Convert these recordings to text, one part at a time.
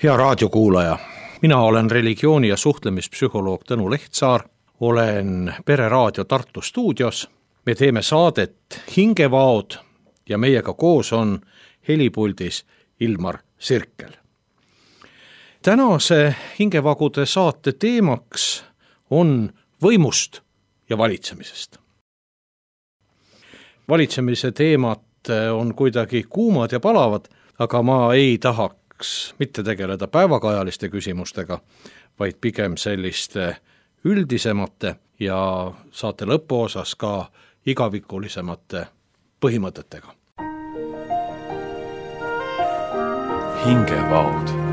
Hea raadiokuulaja, mina olen religiooni- ja suhtlemispsühholoog Tõnu Lehtsaar, olen Pereraadio Tartu stuudios. Me teeme saadet Hingevaod ja meiega koos on helipuldis Ilmar Sirkel. Tänase Hingevagude saate teemaks on võimust ja valitsemisest. Valitsemise teemad on kuidagi kuumad ja palavad, aga ma ei tahaks mitte tegeleda päevakajaliste küsimustega, vaid pigem selliste üldisemate ja saate lõpuosas ka igavikulisemate põhimõtetega. Hingevaod.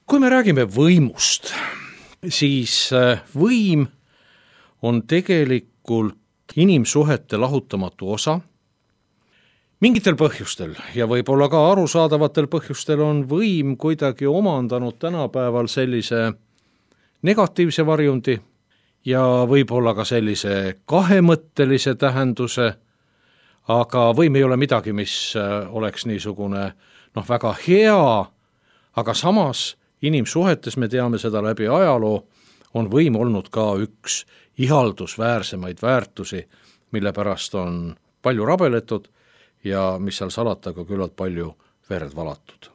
Kui me räägime võimust, siis võim on tegelikult inimsuhete lahutamatu osa. Mingitel põhjustel ja võib-olla ka arusaadavatel põhjustel on võim kuidagi omandanud tänapäeval sellise negatiivse varjundi ja võib-olla ka sellise kahemõttelise tähenduse, aga võim ei ole midagi, mis oleks niisugune väga hea, aga samas inimsuhetes, me teame seda läbi ajaloo, on võim olnud ka üks ihaldusväärsemaid väärtusi, mille pärast on palju rabeletud ja mis seal salata ka küllalt palju verd valatud.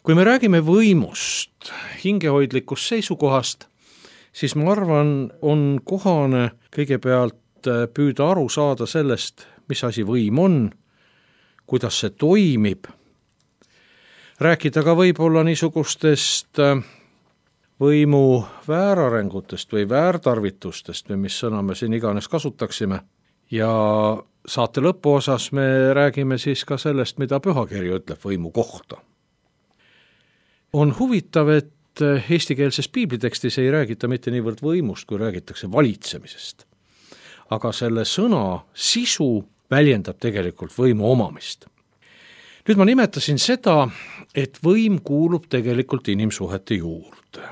Kui me räägime võimust hingehoidlikust seisukohast, siis ma arvan, on kohane kõigepealt püüda aru saada sellest, mis asi võim on, kuidas see toimib, rääkida ka võib-olla niisugustest võimu väärarengutest või väärtarvitustest või mis sõna me siin iganes kasutaksime. Ja saate lõpuosas me räägime siis ka sellest, mida pühakiri ütleb võimu kohta. On huvitav, et eestikeelses piiblitekstis ei räägita mitte niivõrd võimust, kui räägitakse valitsemisest. Aga selle sõna sisu väljendab tegelikult võimu omamist. Nüüd ma nimetasin seda, et võim kuulub tegelikult inimsuhete juurde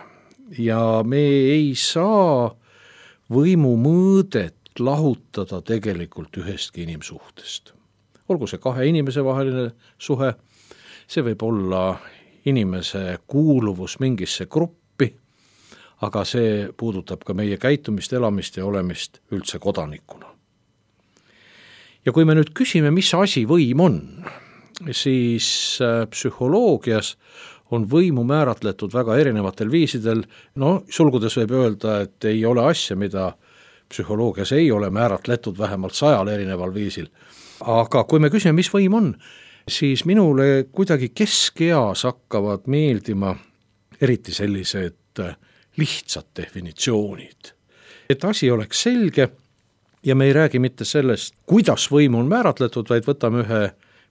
ja me ei saa võimu mõõdet lahutada tegelikult ühestki inimsuhtest. Olgu see kahe inimese vaheline suhe, see võib olla inimese kuuluvus mingisse gruppi, aga see puudutab ka meie käitumist, elamist ja olemist üldse kodanikuna. Ja kui me nüüd küsime, mis asi võim on, siis psühholoogias on võimu määratletud väga erinevatel viisidel. Sulgudes võib öelda, et ei ole asja, mida psühholoogias ei ole määratletud vähemalt 100 erineval viisil. Aga kui me küsime, mis võim on, siis minule kuidagi keskeas hakkavad meeldima eriti sellised lihtsad definitsioonid. Et asi oleks selge ja me ei räägi mitte sellest, kuidas võim on määratletud, vaid võtame ühe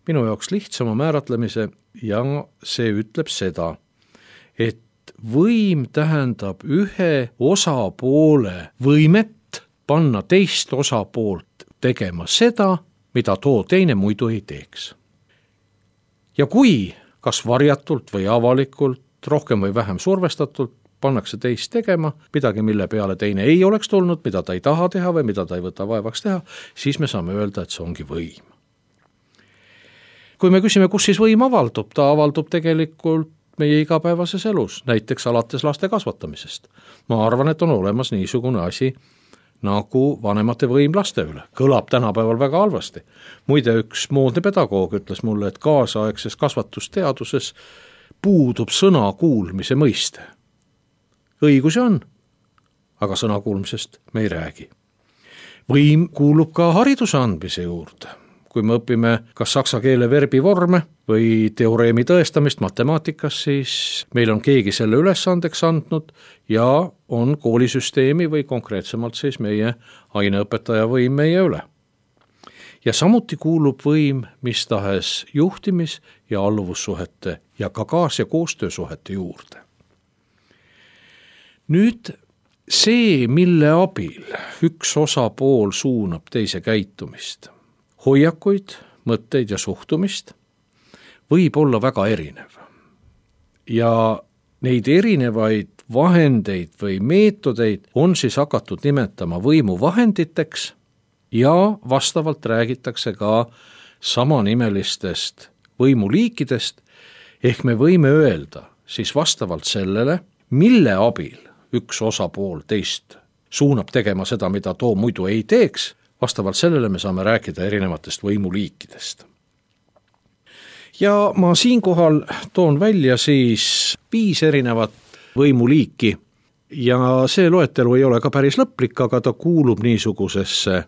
minu jaoks lihtsama määratlemise ja see ütleb seda, et võim tähendab ühe osapoole võimet panna teist osapoolt tegema seda, mida too teine muidu ei teeks. Ja kui kas varjatult või avalikult, rohkem või vähem survestatult pannakse teist tegema midagi, mille peale teine ei oleks tulnud, mida ta ei taha teha või mida ta ei võta vaevaks teha, siis me saame öelda, et see ongi võim. Kui me küsime, kus siis võim avaldub, ta avaldub tegelikult meie igapäevases elus, näiteks alates laste kasvatamisest. Ma arvan, et on olemas niisugune asi nagu vanemate võim laste üle. Kõlab tänapäeval väga halvasti. Muide, üks moodne pedagoog ütles mulle, et kaasaegses kasvatusteaduses puudub sõna kuulmise mõiste. Õigusi on, aga sõna kuulmisest me ei räägi. Võim kuulub ka hariduse andmise juurde. Kui me õpime kas saksa keele verbivorme või teoreemi tõestamist matemaatikas, siis meil on keegi selle ülesandeks andnud ja on koolisüsteemi või konkreetsemalt siis meie aineõpetaja võim meie üle. Ja samuti kuulub võim mis tahes juhtimis- ja alluvussuhete ja ka kaas- ja koostöösuhete juurde. Nüüd see, mille abil üks osapool suunab teise käitumist, hoiakuid, mõtteid ja suhtumist, võib olla väga erinev. Ja neid erinevaid vahendeid või meetodeid on siis hakatud nimetama võimuvahenditeks ja vastavalt räägitakse ka samanimelistest võimuliikidest, ehk me võime öelda siis vastavalt sellele, mille abil üks osapool teist suunab tegema seda, mida too muidu ei teeks, vastavalt sellele me saame rääkida erinevatest võimuliikidest. Ja ma siinkohal toon välja siis 5 erinevat võimuliiki ja see loetelu ei ole ka päris lõplik, aga ta kuulub niisugusesse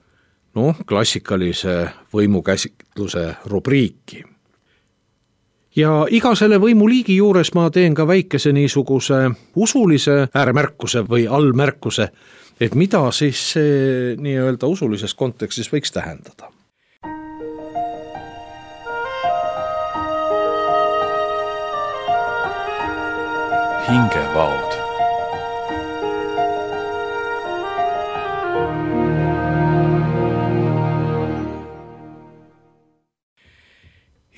klassikalise võimukäsitluse rubriiki. Ja iga selle võimuliigi juures ma teen ka väikese niisuguse usulise ääremärkuse või allmärkuse, et mida siis see nii-öelda usulises kontekstis võiks tähendada. Hingevaod.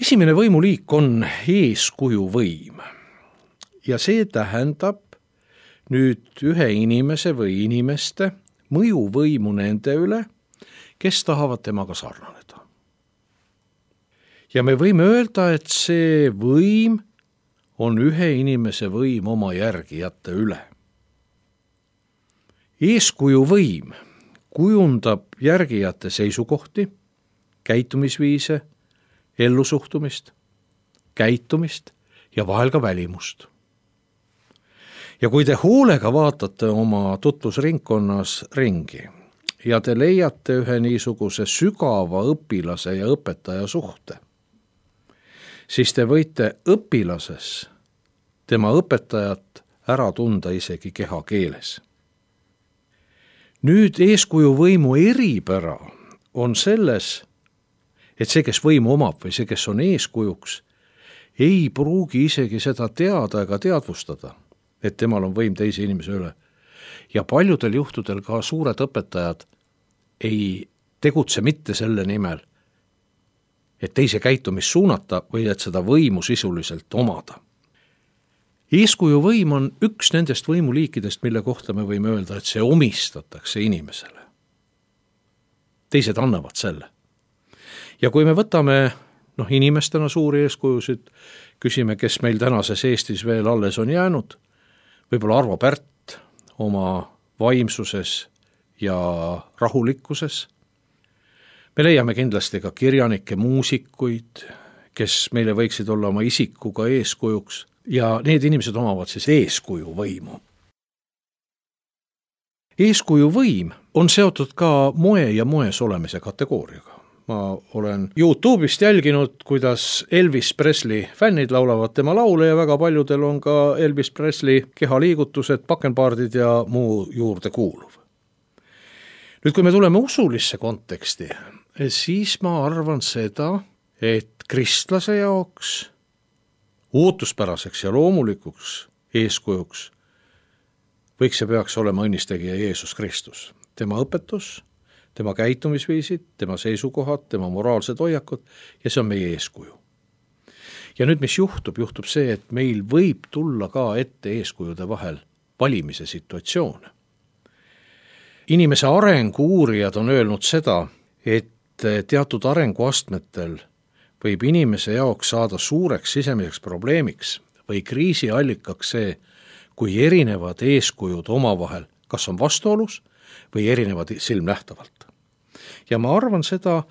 Esimene võimuliik on eeskujuvõim ja see tähendab nüüd ühe inimese või inimeste mõjuvõimu nende üle, kes tahavad temaga sarnaneda. Ja me võime öelda, et see võim on ühe inimese võim oma järgijate üle. Eeskujuvõim kujundab järgijate seisukohti, käitumisviise, ellusuhtumist, käitumist ja vahel ka välimust. Ja kui te hoolega vaatate oma tutvusringkonnas ringi ja te leiate ühe niisuguse sügava õpilase ja õpetaja suhte, siis te võite õpilases tema õpetajat ära tunda isegi kehakeeles. Nüüd eeskujuvõimu eripära on selles, et see, kes võimu omab või see, kes on eeskujuks, ei pruugi isegi seda teada ega teadvustada, et temal on võim teise inimese üle. Ja paljudel juhtudel ka suured õpetajad ei tegutse mitte selle nimel, et teise käitumist suunata või et seda võimu sisuliselt omada. Eeskujuvõim on üks nendest võimuliikidest, mille kohta me võime öelda, et see omistatakse inimesele. Teised annavad selle. Ja kui me võtame inimestena suuri eeskujusid, küsime, kes meil tänases Eestis veel alles on jäänud, võib-olla Arvo Pärt oma vaimsuses ja rahulikkuses. Me leiame kindlasti ka kirjanikke, muusikuid, kes meile võiksid olla oma isikuga eeskujuks ja need inimesed omavad siis eeskujuvõimu. Eeskujuvõim on seotud ka moe ja moes olemise kategooriaga. Ma olen YouTube'ist jälginud, kuidas Elvis Presley fännid laulavad tema laule ja väga paljudel on ka Elvis Presley kehaliigutused, pakenpaardid ja muu juurde kuuluv. Nüüd, kui me tuleme usulisse konteksti, siis ma arvan seda, et kristlase jaoks ootuspäraseks ja loomulikuks eeskujuks võiks ja peaks olema õnnistegija Jeesus Kristus. Tema õpetus, tema käitumisviisid, tema seisukohad, tema moraalsed hoiakud ja see on meie eeskuju. Ja nüüd, mis juhtub see, et meil võib tulla ka ette eeskujude vahel valimise situatsioone. Inimese arengu uurijad on öelnud seda, et teatud arenguastmetel võib inimese jaoks saada suureks sisemiseks probleemiks või kriisiallikaks see, kui erinevad eeskujud omavahel kas on vastuolus või erinevad silmnähtavalt. Ja ma arvan seda,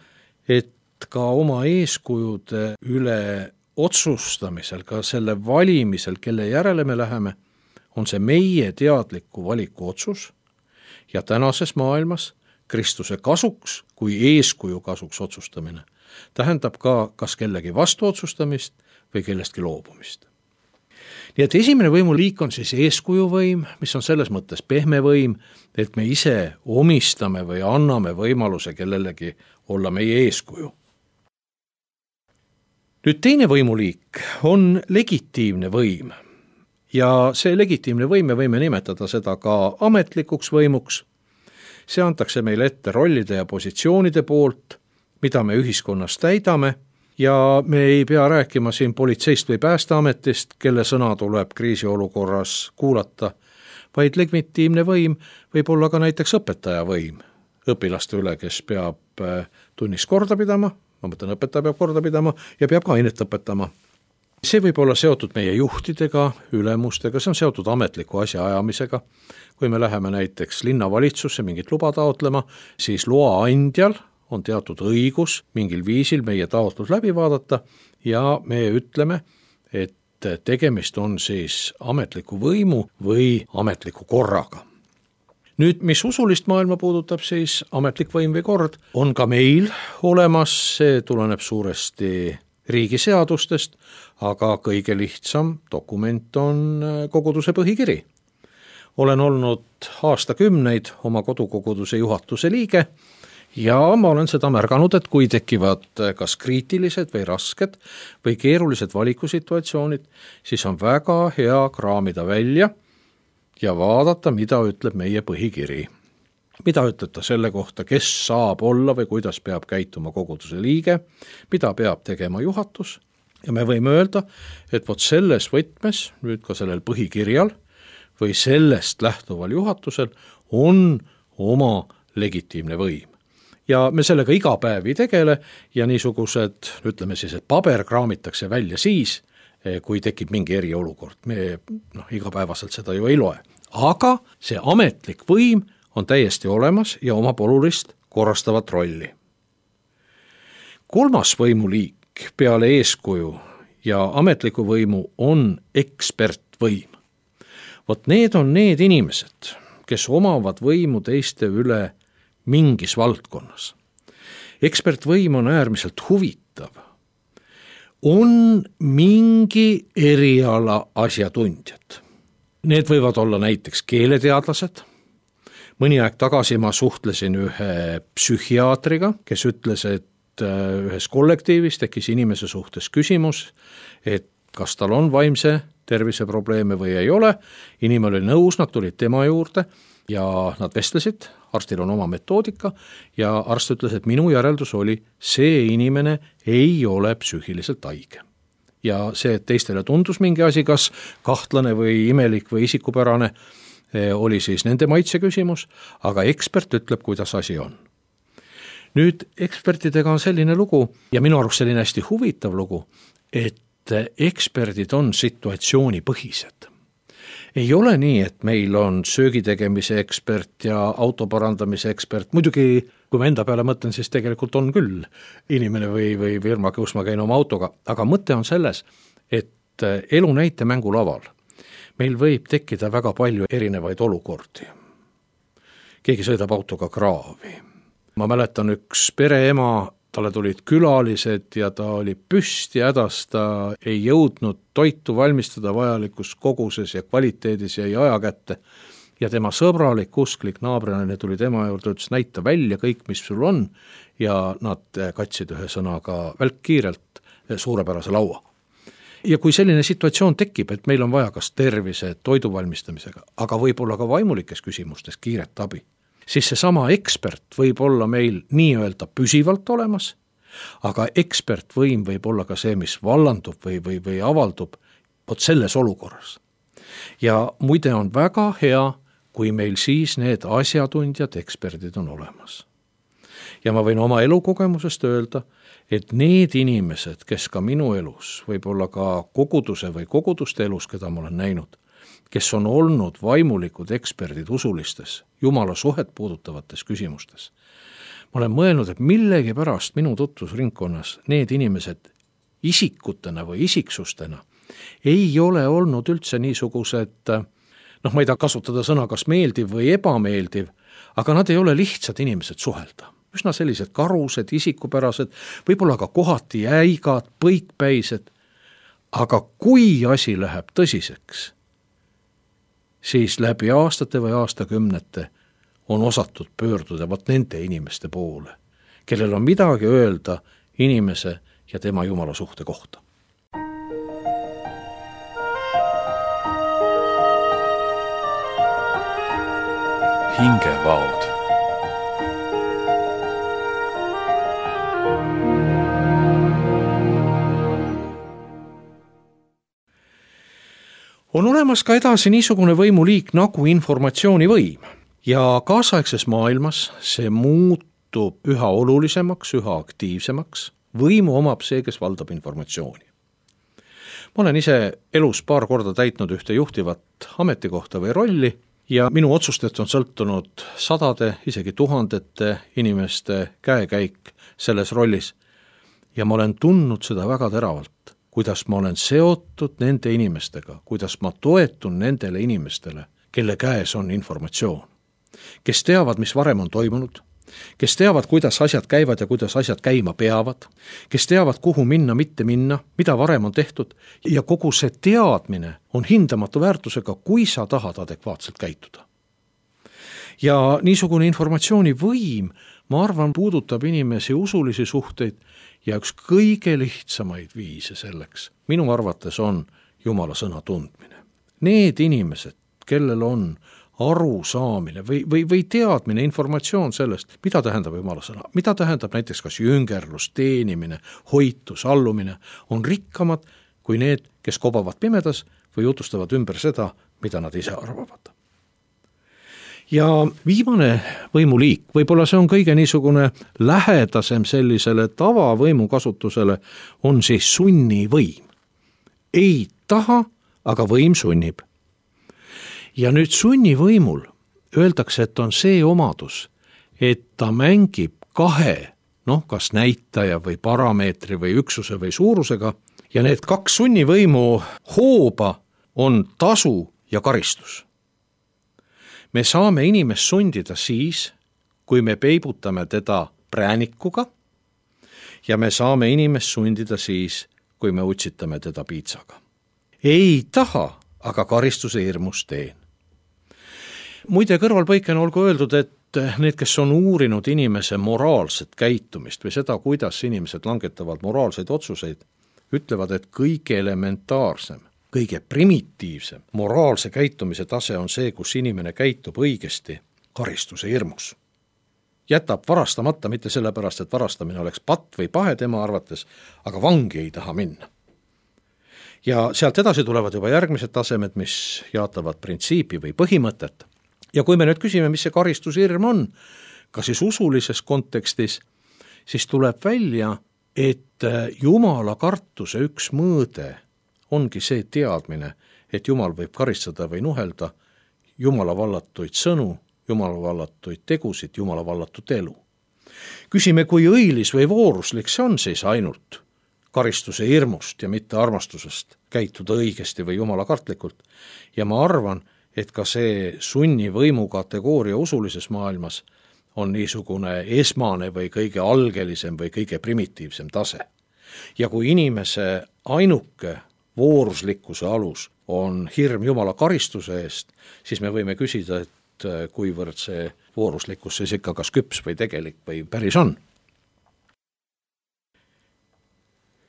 et ka oma eeskujude üle otsustamisel, ka selle valimisel, kelle järele me läheme, on see meie teadliku valiku otsus ja tänases maailmas Kristuse kasuks kui eeskuju kasuks otsustamine tähendab ka kas kellegi vastu otsustamist või kellestki loobumist. Nii et esimene võimuliik on siis eeskujuvõim, mis on selles mõttes pehme võim, et me ise omistame või anname võimaluse kellelegi olla meie eeskuju. Nüüd teine võimuliik on legitiimne võim ja see legitiimne võim, me võime nimetada seda ka ametlikuks võimuks, see antakse meile ette rollide ja positsioonide poolt, mida me ühiskonnas täidame, ja me ei pea rääkima siin politseist või päästeametist, kelle sõna tuleb kriisiolukorras kuulata, vaid legitiimne võim võib olla ka näiteks õpetaja võim õpilaste üle, kes peab tunnis korda pidama, ma mõtlen, õpetaja peab korda pidama ja peab ka ainet õpetama. See võib olla seotud meie juhtidega, ülemustega, see on seotud ametliku asja ajamisega. Kui me läheme näiteks linnavalitsusse mingit luba taotlema, siis loa andjal on teatud õigus mingil viisil meie taotlus läbi vaadata ja me ütleme, et tegemist on siis ametliku võimu või ametliku korraga. Nüüd, mis usulist maailma puudutab, siis ametlik võim või kord on ka meil olemas, see tuleneb suuresti riigiseadustest, aga kõige lihtsam dokument on koguduse põhikiri. Olen olnud aastakümneid oma kodukoguduse juhatuse liige ja ma olen seda märganud, et kui tekivad kas kriitilised või rasked või keerulised valikusituatsioonid, siis on väga hea kraamida välja ja vaadata, mida ütleb meie põhikiri. Mida ütleb ta selle kohta, kes saab olla või kuidas peab käituma koguduse liige, mida peab tegema juhatus, ja me võime öelda, et vot selles võtmes, nüüd ka sellel põhikirjal või sellest lähtuval juhatusel on oma legitiimne võim. Ja me sellega iga päev ei tegele ja niisugused, ütleme siis, et paber kraamitakse välja siis, kui tekib mingi eriolukord. Me igapäevaselt seda ju ei loe. Aga see ametlik võim on täiesti olemas ja omab olulist korrastavat rolli. Kolmas võimuliik peale eeskuju ja ametliku võimu on ekspertvõim. Vot need on need inimesed, kes omavad võimu teiste üle mingis valdkonnas. Ekspertvõim on äärmiselt huvitav. On mingi eriala asjatundjad. Need võivad olla näiteks keeleteadlased. Mõni aeg tagasi ma suhtlesin ühe psühhiaatriga, kes ütles, et ühes kollektiivis tekkis inimese suhtes küsimus, et kas tal on vaimse terviseprobleeme või ei ole. Inimene oli nõus, nad tulid tema juurde ja nad vestlesid, arstil on oma metoodika ja arst ütles, et minu järeldus oli, see inimene ei ole psüühiliselt haige. Ja see, et teistele tundus mingi asi, kas kahtlane või imelik või isikupärane, oli siis nende maitse küsimus, aga ekspert ütleb, kuidas asi on. Nüüd ekspertidega on selline lugu ja minu arust selline hästi huvitav lugu, et eksperdid on situatsioonipõhised. Ei ole nii, et meil on söögitegemise ekspert ja autoparandamise ekspert, muidugi kui ma enda peale mõtlen, siis tegelikult on küll inimene või firma, kus ma käin oma autoga, aga mõte on selles, et elu näite mängulaval meil võib tekkida väga palju erinevaid olukordi. Keegi sõidab autoga kraavi. Ma mäletan üks pereema, talle tulid külalised ja ta oli püsti hädas, ta ei jõudnud toitu valmistada vajalikus koguses ja kvaliteedis jäi aja kätte. Ja tema sõbralik, usklik naabrinaine tuli tema juurde, ütles, näita välja kõik, mis sul on, ja nad katsid ühe sõnaga välkkiirelt suurepärase laua. Ja kui selline situatsioon tekib, et meil on vaja kas tervise, toidu valmistamisega, aga võib-olla ka vaimulikes küsimustes kiiret abi, siis seesama ekspert võib olla meil nii-öelda püsivalt olemas, aga ekspertvõim võib olla ka see, mis vallandub või avaldub vot selles olukorras. Ja muide on väga hea, kui meil siis need asjatundjad, eksperdid on olemas. Ja ma võin oma elukogemusest öelda, et need inimesed, kes ka minu elus, võib-olla ka koguduse või koguduste elus, keda ma olen näinud, kes on olnud vaimulikud eksperdid usulistes, jumala suhet puudutavates küsimustes. Ma olen mõelnud, et millegipärast minu tutvusringkonnas need inimesed isikutena või isiksustena ei ole olnud üldse niisugused, ma ei taha kasutada sõna kas meeldiv või ebameeldiv, aga nad ei ole lihtsad inimesed suhelda. Üsna sellised karused, isikupärased, võib-olla ka kohati jäigad, põikpäised, aga kui asi läheb tõsiseks, siis läbi aastate või aastakümnete on osatud pöörduda vot nende inimeste poole, kellel on midagi öelda inimese ja tema jumala suhte kohta. hingevaod. On olemas ka edasi niisugune võimuliik nagu informatsioonivõim ja kaasaegses maailmas see muutub üha olulisemaks, üha aktiivsemaks. Võimu omab see, kes valdab informatsiooni. Ma olen ise elus paar korda täitnud ühte juhtivat ametikohta või rolli ja minu otsustest on sõltunud sadade, isegi tuhandete inimeste käekäik selles rollis. Ja ma olen tundnud seda väga teravalt, kuidas ma olen seotud nende inimestega, kuidas ma toetun nendele inimestele, kelle käes on informatsioon, kes teavad, mis varem on toimunud, kes teavad, kuidas asjad käivad ja kuidas asjad käima peavad, kes teavad, kuhu minna, mitte minna, mida varem on tehtud ja kogu see teadmine on hindamatu väärtusega, kui sa tahad adekvaatselt käituda. Ja niisugune informatsioonivõim, ma arvan, puudutab inimesi usulisi suhteid ja üks kõige lihtsamaid viise selleks minu arvates on Jumala sõna tundmine. Need inimesed, kellel on arusaamine või teadmine, informatsioon sellest, mida tähendab Jumala sõna, mida tähendab näiteks kas jüngerlus, teenimine, hoitus, allumine, on rikkamad kui need, kes kobavad pimedas või jutustavad ümber seda, mida nad ise arvavad. Ja viimane võimuliik, võib-olla see on kõige niisugune lähedasem sellisele tavavõimu kasutusele, on siis sunnivõim. Ei taha, aga võim sunnib. Ja nüüd sunnivõimul öeldakse, et on see omadus, et ta mängib kahe, kas näitaja või parameetri või üksuse või suurusega, ja need kaks sunnivõimu hooba on tasu ja karistus. Me saame inimest sundida siis, kui me peibutame teda präänikuga ja me saame inimest sundida siis, kui me utsitame teda piitsaga. Ei taha, aga karistuse hirmus teen. Muide, kõrvalpõikena olgu öeldud, et need, kes on uurinud inimese moraalset käitumist või seda, kuidas inimesed langetavad moraalseid otsuseid, ütlevad, et kõige elementaarsem, kõige primitiivsem moraalse käitumise tase on see, kus inimene käitub õigesti karistuse hirmus. Jätab varastamata mitte sellepärast, et varastamine oleks patt või pahe tema arvates, aga vangi ei taha minna. Ja sealt edasi tulevad juba järgmised tasemed, mis jaatavad printsiipi või põhimõtet. Ja kui me nüüd küsime, mis see karistushirm on, ka siis usulises kontekstis, siis tuleb välja, et Jumala kartuse üks mõõde ongi see teadmine, et Jumal võib karistada või nuhelda Jumala vallatuid sõnu, Jumala vallatuid tegusid, Jumala vallatut elu. Küsime, kui õilis või vooruslik see on siis ainult karistuse hirmust ja mitte armastusest käituda õigesti või Jumala kartlikult. Ja ma arvan, et ka see sunnivõimu kategooria usulises maailmas on niisugune esmane või kõige algelisem või kõige primitiivsem tase. Ja kui inimese ainuke vooruslikkuse alus on hirm Jumala karistuse eest, siis me võime küsida, et kuivõrd see vooruslikkus siis ikka kas küps või tegelik või päris on.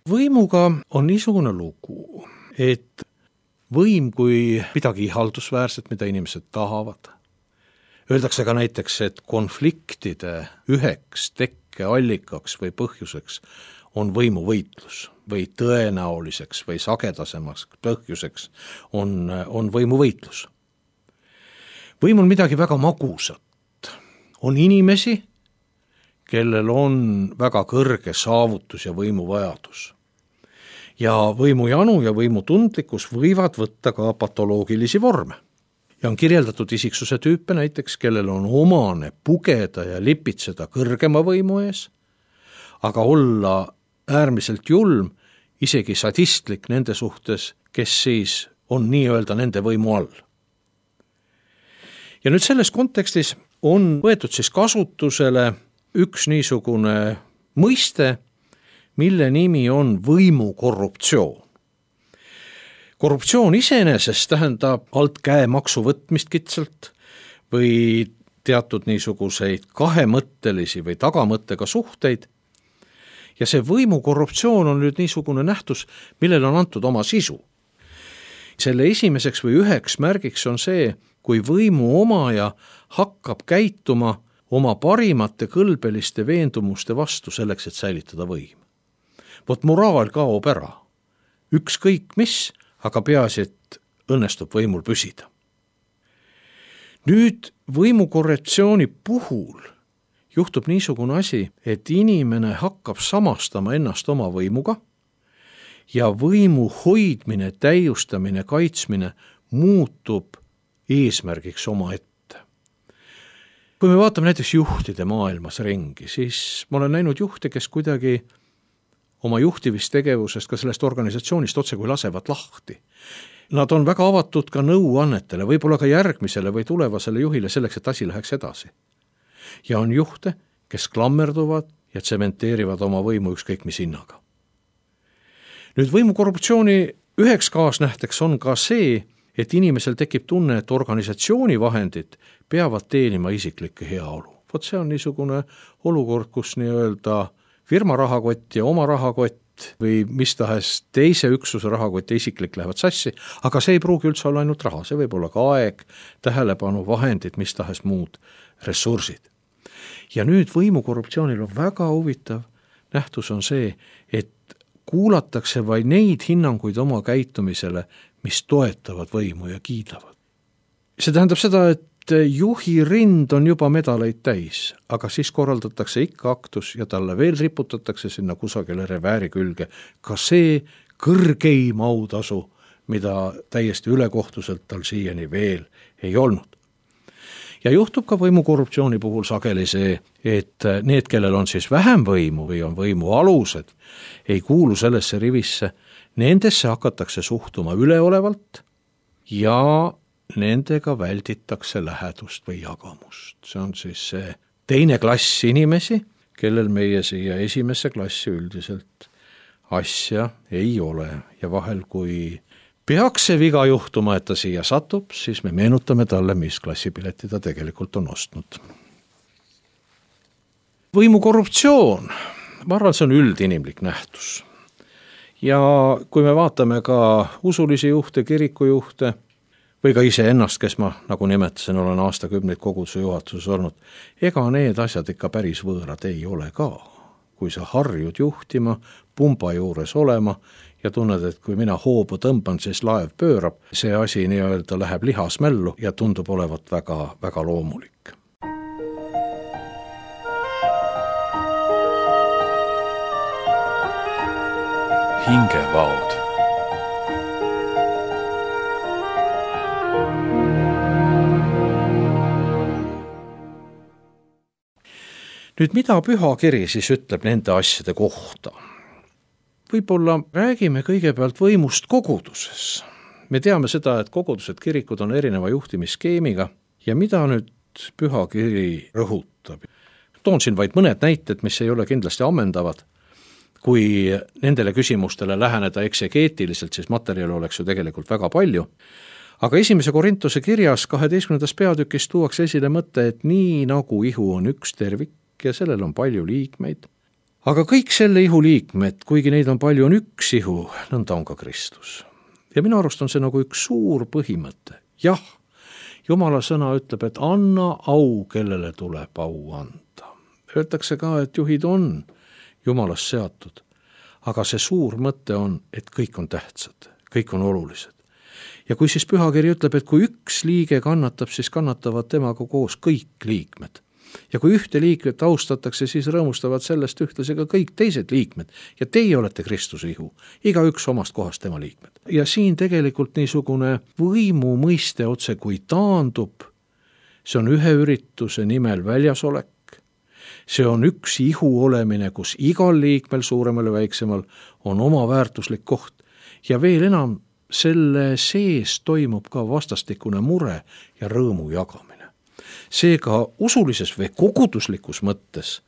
Võimuga on niisugune lugu, et võim kui midagi ihaldusväärset, mida inimesed tahavad. Öeldakse ka näiteks, et konfliktide üheks tekkeallikaks või põhjuseks on võimuvõitlus või tõenäoliseks või sagedasemaks põhjuseks on võimuvõitlus. Võim on midagi väga magusat. On inimesi, kellel on väga kõrge saavutus ja võimuvajadus. Ja võimujanu ja võimutundlikkus võivad võtta ka patoloogilisi vorme. Ja on kirjeldatud isiksuse tüüpe näiteks, kellel on omane pugeda ja lipitseda kõrgema võimu ees, aga olla äärmiselt julm, isegi sadistlik nende suhtes, kes siis on nii-öelda nende võimu all. Ja nüüd selles kontekstis on võetud siis kasutusele üks niisugune mõiste, mille nimi on võimukorruptsioon. Korruptsioon iseenesest tähendab alt käemaksu võtmist kitsalt või teatud niisuguseid kahemõttelisi või tagamõttega suhteid. Ja see võimukorruptsioon on nüüd niisugune nähtus, millel on antud oma sisu. Selle esimeseks või üheks märgiks on see, kui võimu omaja hakkab käituma oma parimate kõlbeliste veendumuste vastu selleks, et säilitada võim. Vot moraal kaob ära. Ükskõik mis, aga peaasi, et õnnestub võimul püsida. Nüüd võimukorrektsiooni puhul juhtub niisugune asi, et inimene hakkab samastama ennast oma võimuga ja võimu hoidmine, täiustamine, kaitsmine muutub eesmärgiks oma ette. Kui me vaatame näiteks juhtide maailmas ringi, siis ma olen näinud juhte, kes kuidagi oma juhtivistegevusest ka sellest organisatsioonist otse kui lasevad lahti. Nad on väga avatud ka nõuannetele, võib-olla ka järgmisele või tulevasele juhile selleks, et asi läheks edasi. Ja on juhte, kes klammerduvad ja tsementeerivad oma võimu ükskõik mis hinnaga. Nüüd võimukorruptsiooni üheks kaasnähteks on ka see, et inimesel tekib tunne, et organisatsiooni vahendid peavad teenima isiklikke heaolu. Vot see on niisugune olukord, kus nii-öelda firma rahakott ja oma rahakott või mis tahes teise üksuse rahakott ja isiklik lähevad sassi, aga see ei pruugi üldse olla ainult raha, see võib olla ka aeg, tähelepanu, vahendid, mis tahes muud ressursid. Ja nüüd võimukorruptsioonil on väga huvitav nähtus on see, et kuulatakse vaid neid hinnanguid oma käitumisele, mis toetavad võimu ja kiidavad. See tähendab seda, et juhi rind on juba medaleid täis, aga siis korraldatakse ikka aktus ja talle veel riputatakse sinna kusagile revääri külge ka see kõrgeim autasu, mida täiesti ülekohtuselt tal siiani veel ei olnud. Ja juhtub ka võimukorruptsiooni puhul sageli see, et need, kellel on siis vähem võimu või on võimu alused, ei kuulu sellesse rivisse, nendesse hakatakse suhtuma üleolevalt ja nendega välditakse lähedust või jagamust. See on siis see teine klass inimesi, kellel meie siia esimesse klassi üldiselt asja ei ole. Ja vahel, kui peaks see viga juhtuma, et ta siia satub, siis me meenutame talle, mis klassipileti ta tegelikult on ostnud. Võimukorruptsioon, ma arvan, see on üldinimlik nähtus. Ja kui me vaatame ka usulisi juhte, kirikujuhte, või ka iseennast, kes ma, nagu nimetasin, olen aastakümneid koguduse juhatuses olnud, ega need asjad ikka päris võõrad ei ole ka. Kui sa harjud juhtima, pumba juures olema ja tunned, et kui mina hoobu tõmban, siis laev pöörab, see asi nii-öelda läheb lihasmällu ja tundub olevat väga, väga loomulik. Hingevaod. Nüüd, mida pühakiri siis ütleb nende asjade kohta? Võib-olla räägime kõigepealt võimust koguduses. Me teame seda, et kogudused, kirikud on erineva juhtimisskeemiga ja mida nüüd pühakiri rõhutab? Toon siin vaid mõned näited, mis ei ole kindlasti ammendavad. Kui nendele küsimustele läheneda eksegeetiliselt, siis materjali oleks ju tegelikult väga palju. Aga 1. Korintuse kirjas 12. peatükis tuuakse esile mõte, et nii nagu ihu on üks tervik ja sellel on palju liikmeid, aga kõik selle ihu liikmed, kuigi neid on palju, on üks ihu, nõnda on ka Kristus. Ja minu arust on see nagu üks suur põhimõte. Jah, Jumala sõna ütleb, et anna au, kellele tuleb au anda. Öeldakse ka, et juhid on Jumalast seatud, aga see suur mõte on, et kõik on tähtsad, kõik on olulised. Ja kui siis pühakiri ütleb, et kui üks liige kannatab, siis kannatavad temaga koos kõik liikmed. Ja kui ühte liikmet austatakse, siis rõõmustavad sellest ühtlasi ka kõik teised liikmed. Ja teie olete Kristuse ihu, igaüks omast kohast tema liikmed. Ja siin tegelikult niisugune võimu mõiste otse kui taandub, see on ühe ürituse nimel väljasolek, see on üks ihu olemine, kus igal liikmel, suuremal ja väiksemal, on oma väärtuslik koht. Ja veel enam, selle sees toimub ka vastastikune mure ja rõõmu jagamine. Seega usulises või koguduslikus mõttes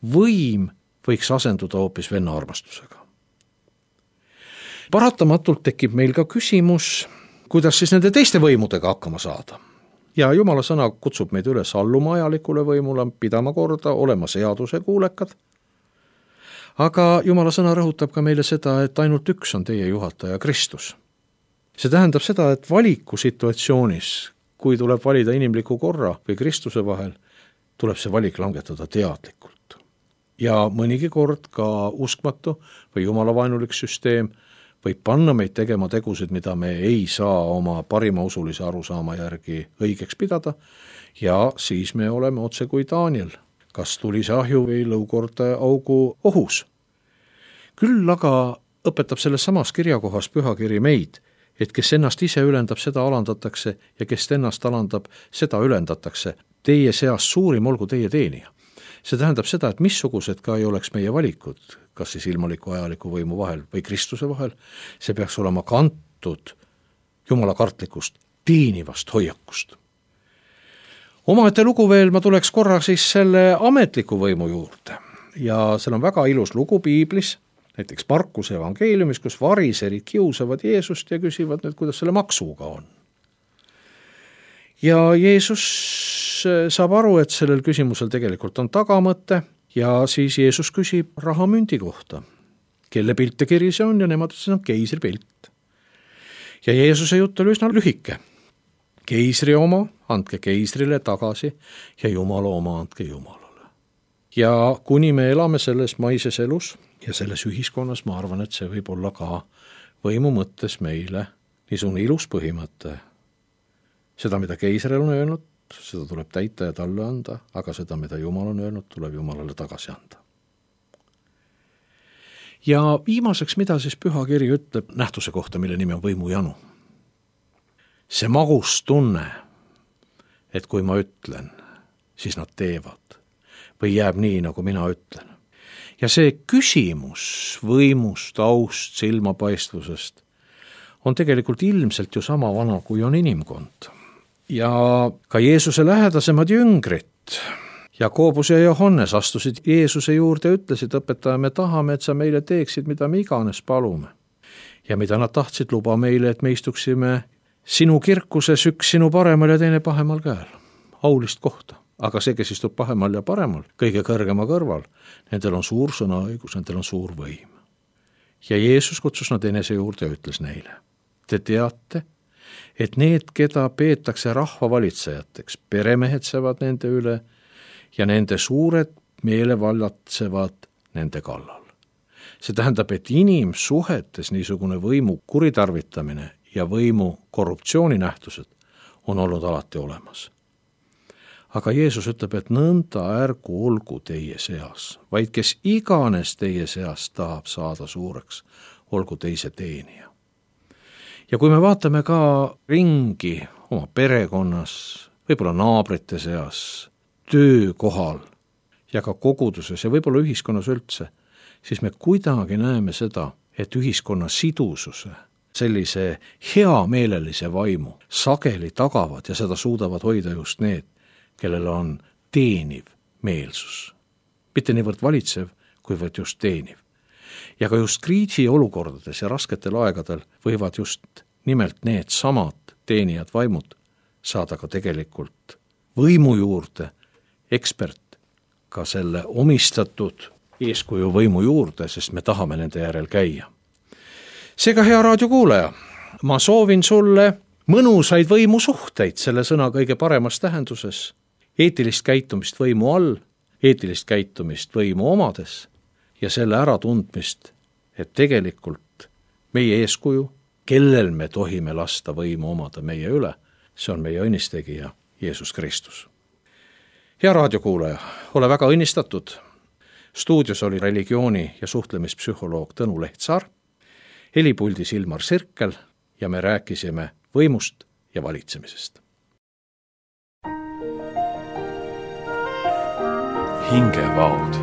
võim võiks asenduda hoopis venna armastusega. Paratamatult tekib meil ka küsimus, kuidas siis nende teiste võimudega hakkama saada. Ja Jumala sõna kutsub meid üles alluma ajalikule võimule, pidama korda, olema seaduse kuulekad. Aga Jumala sõna rõhutab ka meile seda, et ainult üks on teie juhataja Kristus. See tähendab seda, et valikusituatsioonis, kui tuleb valida inimliku korra või Kristuse vahel, tuleb see valik langetada teadlikult. Ja mõnigi kord ka uskmatu või jumalavaenulik süsteem võib panna meid tegema tegusid, mida me ei saa oma parima usulise arusaama järgi õigeks pidada, ja siis me oleme otse kui Daniel, kas tulise ahju või lõukorda augu ohus. Küll aga õpetab selles samas kirjakohas pühakiri meid, et kes ennast ise ülendab, seda alandatakse, ja kes ennast alandab, seda ülendatakse. Teie seas suurim olgu teie teenija. See tähendab seda, et missugused ka ei oleks meie valikud, kas siis ilmaliku ajaliku võimu vahel või Kristuse vahel, see peaks olema kantud Jumala kartlikust, teenivast hoiakust. Omaette lugu veel, ma tuleks korra siis selle ametliku võimu juurde. Ja seal on väga ilus lugu piiblis, näiteks Markuse evangeeliumis, kus variserid kiusavad Jeesust ja küsivad nüüd, kuidas selle maksuga on. Ja Jeesus saab aru, et sellel küsimusel tegelikult on tagamõte, ja siis Jeesus küsib rahamündi kohta. Kelle pilt ja kiri see on, ja nemad ütlesid, on keisri pilt. Ja Jeesuse jutt oli üsna lühike. Keisri oma andke keisrile tagasi ja Jumala oma andke Jumalale. Ja kuni me elame selles maises elus ja selles ühiskonnas, ma arvan, et see võib olla ka võimu mõttes meile niisugune ilus põhimõte. Seda, mida keisril on öelnud, seda tuleb täita ja talle anda, aga seda, mida Jumal on öelnud, tuleb Jumalale tagasi anda. Ja viimaseks, mida siis pühakiri ütleb nähtuse kohta, mille nimi on võimujanu. See magus tunne, et kui ma ütlen, siis nad teevad või jääb nii, nagu mina ütlen. Ja see küsimus võimust, aust, silmapaistvusest on tegelikult ilmselt ju sama vana, kui on inimkond. Ja ka Jeesuse lähedasemad jüngrid, Jakobus ja Johannes astusid Jeesuse juurde ja ütlesid, õpetaja, me tahame, et sa meile teeksid, mida me iganes palume. Ja mida nad tahtsid, luba meile, et me istuksime sinu kirkuses, üks sinu paremal ja teine pahemal käel. Aulist kohta. Aga see, kes istub pahemal ja paremal, kõige kõrgema kõrval, nendel on suur sõnaõigus, nendel on suur võim. Ja Jeesus kutsus nad enese juurde ja ütles neile, te teate, et need, keda peetakse rahvavalitsejateks, peremehetsevad nende üle ja nende suured meelevallatsevad nende kallal. See tähendab, et inimsuhetes niisugune võimu kuritarvitamine ja võimu korruptsiooninähtused on olnud alati olemas. Aga Jeesus ütleb, et nõnda ärgu olgu teie seas, vaid kes iganes teie seas tahab saada suureks, olgu teise teenija. Ja kui me vaatame ka ringi oma perekonnas, võib-olla naabrite seas, töökohal ja ka koguduses ja võib-olla ühiskonnas üldse, siis me kuidagi näeme seda, et ühiskonna sidususe, sellise heameelelise vaimu sageli tagavad ja seda suudavad hoida just need, kellel on teeniv meelsus. Mitte niivõrd valitsev, kuivõrd just teeniv. Ja ka just kriisiolukordades ja rasketel aegadel võivad just nimelt need samad teenijad vaimud saada ka tegelikult võimu juurde, ekspert ka selle omistatud eeskuju võimu juurde, sest me tahame nende järel käia. Seega, hea raadiokuulaja, ma soovin sulle mõnusaid võimusuhteid selle sõna kõige paremas tähenduses, eetilist käitumist võimu all, eetilist käitumist võimu omades ja selle äratundmist, et tegelikult meie eeskuju, kellel me tohime lasta võimu omada meie üle, see on meie õnnistegija Jeesus Kristus. Hea raadiokuulaja, ole väga õnnistatud. Stuudios oli religiooni- ja suhtlemispsühholoog Tõnu Lehtsaar, helipuldis Ilmar Sirkel ja me rääkisime võimust ja valitsemisest. Hingevaod.